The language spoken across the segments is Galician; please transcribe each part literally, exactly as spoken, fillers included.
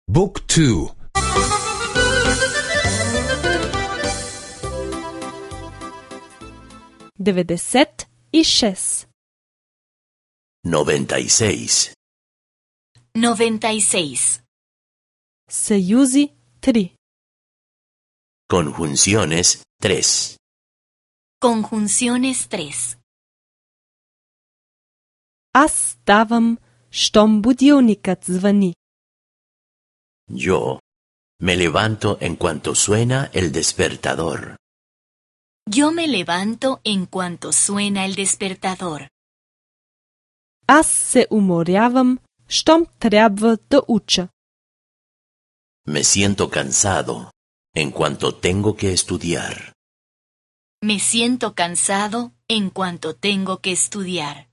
Book two. devedeset и шест. noventa y seis. noventa y seis. Съюзи три. Conjunciones tres. Conjunciones tres. Аз ставам, щом будилникът звъни. Yo me levanto en cuanto suena el despertador. Yo me levanto en cuanto suena el despertador. Аз се уморявам, щом трябва да уча. Me siento cansado en cuanto tengo que estudiar. Me siento cansado en cuanto tengo que estudiar.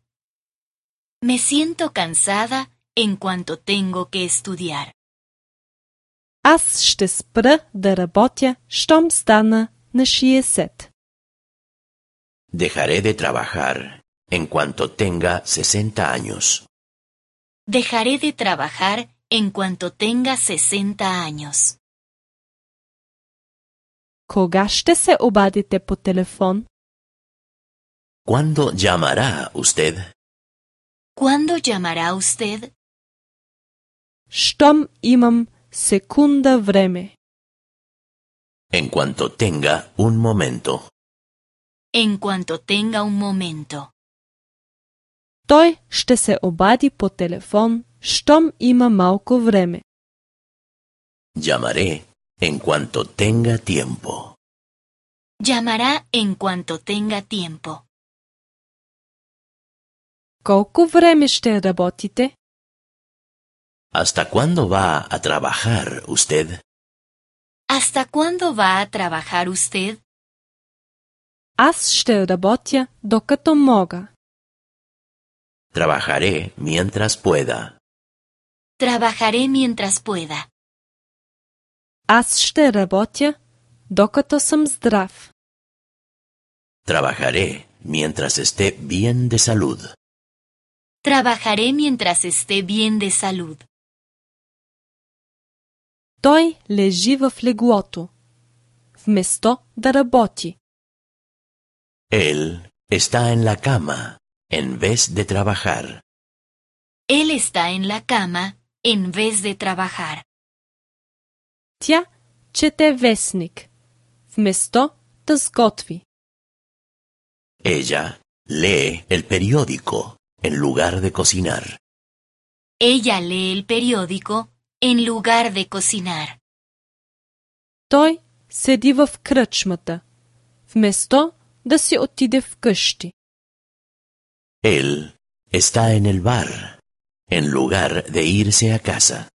Me siento cansada en cuanto tengo que estudiar. Аз ще спра да работя, щом стана на шейсет. Dejaré de trabajar en cuanto tenga sesenta años. Dejaré de trabajar en cuanto tenga sesenta años. Кога ще се обадите по телефон? ¿Cuándo llamará usted? ¿Cuándo llamará usted? Щом имам секунда време. En cuanto tenga un momento. En cuanto tenga un momento. Той ще се обади по телефон, щом има малко време. Llamaré en cuanto tenga tiempo. Llamará en cuanto tenga tiempo. Колко време ще работите? ¿Hasta cuándo va a trabajar usted? ¿Hasta cuándo va a trabajar usted? Аз ще работя, докато мога. Trabajaré mientras pueda. Trabajaré mientras pueda. Аз ще работя, докато съм здрав. Trabajaré mientras esté bien de salud. Trabajaré mientras esté bien de salud. Той лежи в леглото, вместо да работи. Él está en la cama en vez de trabajar. Él está en la cama en vez de trabajar. Тя чете вестник, вместо да сготви. Ella lee el periódico en lugar de cocinar. Ella lee el periódico en lugar de cocinar. Той седи в кръчмата, вместо да си отиде вкъщи. Él está en el bar en lugar de irse a casa.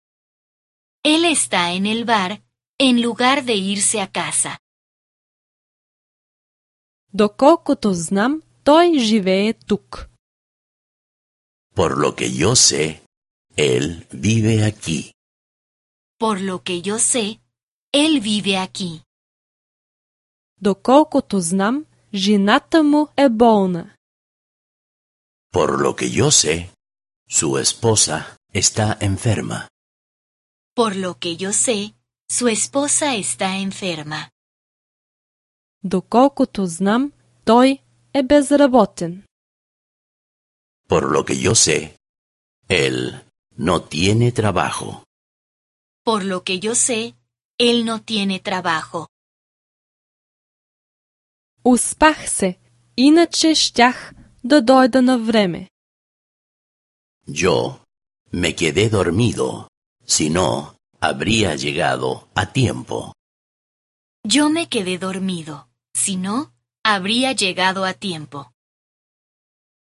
Él está en el bar en lugar de irse a casa. Доколкото знам, той живее тук. Por lo que yo sé, él vive aquí. Por lo que yo sé, él vive aquí. Доколкото знам, жената му е болна. Por lo que yo sé, su esposa está enferma. Por lo que yo sé, su esposa está enferma. Доколкото знам, той е безработен. Por lo que yo sé, él no tiene trabajo. Por lo que yo sé, él no tiene trabajo. Успах се, иначе щях да дойда на време. Yo me quedé dormido, si no, habría llegado a tiempo. Yo me quedé dormido, si no, habría llegado a tiempo.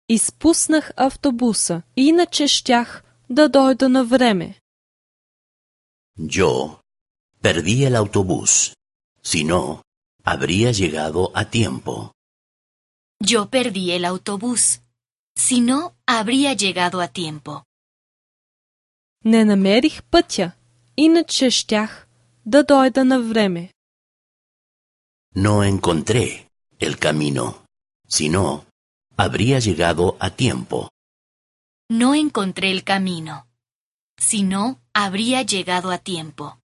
Изпуснах автобуса, иначе щях да дойда на време. Yo perdí el autobús, si no, habría llegado a tiempo. Yo perdí el autobús, si no, habría llegado a tiempo. Не намерих пътя, иначе щях да дойда на време. No encontré el camino, si no, habría llegado a tiempo. No encontré el camino. Si no, habría llegado a tiempo.